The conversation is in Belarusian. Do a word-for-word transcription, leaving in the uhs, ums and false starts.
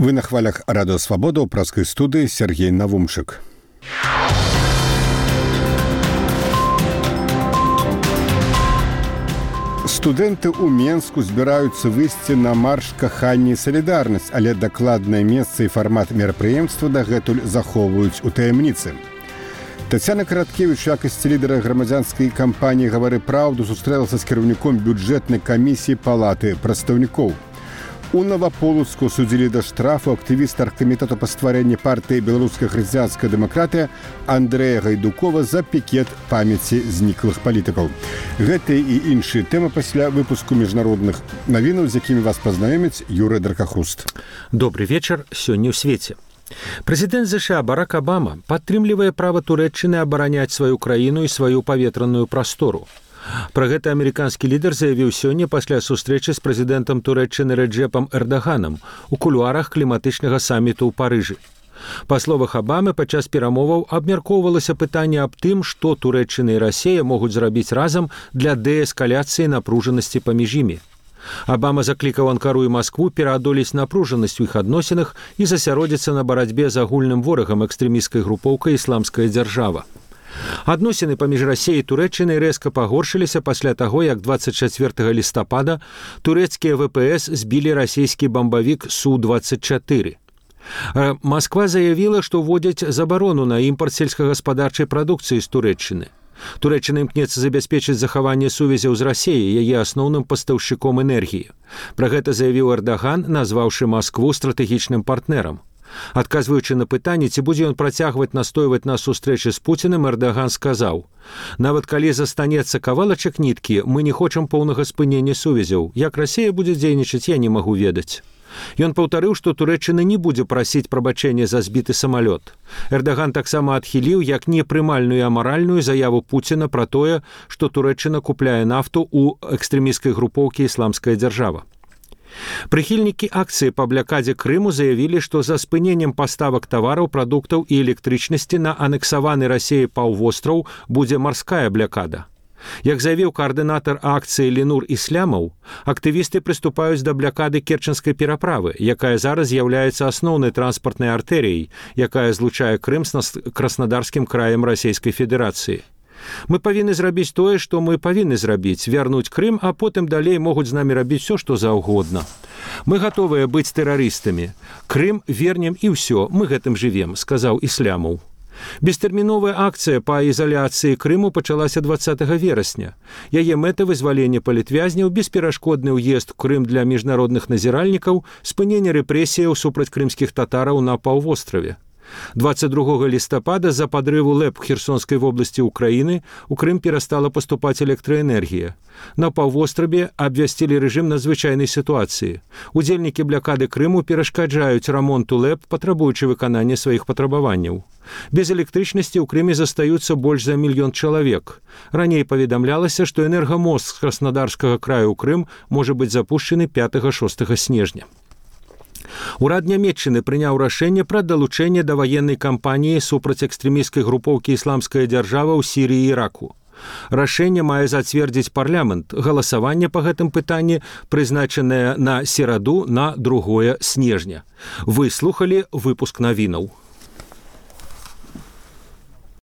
Вы на хвалях Радио Свобода ў праскай студыі Сергей Навумчык. Студэнты ў Менску збіраюцца выйсці на марш кахання і салідарнасць, але дакладнае месца і фармат мерапрыемства дагэтуль захоўваюць у таямніцы. Тацяна Караткевіч, у якасці лідара грамадзянскай кампаніі «Гавары праўду», сустрэлася з кіраўніком бюджэтнай камісіі Палаты прадстаўнікоў. У Наваполацку судзілі да штрафу актывіста аргкамітэту па стварэнні партыі «Беларуская хрысціянская дэмакратыя» Андрэя Гайдукова за пікет памяці зніклых палітыкаў. Гэтыя і іншыя тэмы пасля выпуску міжнародных навінаў, з якімі вас пазнаёміць Юрый Дракахруст. Добрый вечар, сёння ў свеце. Прэзідэнт ЗША Барак Абама падтрымлівае права Турэччыны абараняць сваю краіну і сваю паветраную прастору. Пра гэта амерыканскі лідар заявіў сёння пасля сустрэчы з прэзідэнтам Турэччыны Рэджэпам Эрдаганам у кулуарах кліматычнага саміту ў Парыжы. Па словах Абамы, падчас перамоваў абмяркоўвалася пытанне аб тым, што Турэччына і Расія могуць зрабіць разам для дээскаляцыі напружанасці паміж імі. Абама заклікаў Анкару і Маскву пераадолець напружанасць у іх адносінах і засяродзіцца на барацьбе з агульным ворагам экстрэмісцкай групоўкай «Ісламская дзяржава». Адносіны паміж Расіяй і Турэччынай рэзка пагоршыліся пасля таго, як дваццаць чацвёртага лістапада турэцкія ВПС збілі расійскі бамбавік Су дваццаць чатыры. Масква заявіла, што вводзяць забарону на імпарт сельскагаспадарчай прадукцыі з Турэччыны. Турэччына імкнецца забяспечыць захаванне сувязяў з Расіяй, яе асноўным пастаўшчыком энергіі. Пра гэта заявіў Эрдаган, назваўшы Маскву стратэгічным партнерам. Адказваючы на пытанне, ці будзе ён працягваць настойваць на сустрэчы з Пуцінам, Эрдаган сказаў: «Нават калі застанецца кавалачак ніткі, мы не хочам поўнага спынення сувязяў. Як Расія будзе дзейнічаць, я не магу ведаць». Ён паўтарыў, што Турэччына не будзе прасіць прабачэння за збіты самалёт. Эрдаган таксама адхіліў як непрымальную і амаральную заяву Пуціна пра тое, што Турэччына купляе нафту ў экстрэмісцкай групоўкі «Ісламская дзяржава». Прыхільнікі акцыі па блакадзе Крыму заявілі, што за спыненнем паставак тавараў, прадуктаў і электрычнасці на анексаваны Расіяй паўвостраў будзе марская блакада. Як заявіў каардынатар акцыі Ленур Ислямаў, актывісты прыступаюць да блакады Керченскай пераправы, якая зараз з'яўляецца асноўнай транспартнай артэрыяй, якая злучае Крым з Краснодарскім краем Расійскай Федэрацыі. Мы павінны зрабіць тое, што мы павінны зрабіць, вярнуць Крым, а потым далей могуць з намі рабіць все, што заўгодна. Мы гатовыя быць тэрарыстамі. Крым вернем і ўсё, мы гэтым жывем, сказаў Ислямаў. Бестэрміновая акцыя па ізаляцыі Крыму пачалася дваццатага верасня. Яе мэта вызваленне палітвязняў, бесперашкодны ўезд у Крым для міжнародных назіральнікаў, спыненне рэпрэсіяў супраць крымскіх татараў на паўвостраве. дваццаць другога лістапада з-за падрыву ЛЭП Херсонскай вобласці Украіны у Крым перастала паступаць электраэнергія. На паўвостраве абвясцілі рэжым надзвычайнай сітуацыі. Удзельнікі блакады Крыму перашкаджаюць рамонту ЛЭП, патрабуючы выканання сваіх патрабаванняў. Без электрычнасці ў Крыме застаюцца больш за мільён чалавек. Раней паведамлялася, што энергамост з Краснодарскага краю ў Крым можа быць запушчаны пятага-шостага снежня. Урад Нямецчыны прыняў рашэнне пра далучэнне да ваеннай кампаніі супраць экстрэмісцкай групоўкі «Ісламская дзяржава» ў Сірыі і Іраку. Рашэнне мае зацвердзіць парламент. Галасаванне па гэтым пытанні прызначанае на сераду на другое снежня. Вы слухалі выпуск навінаў.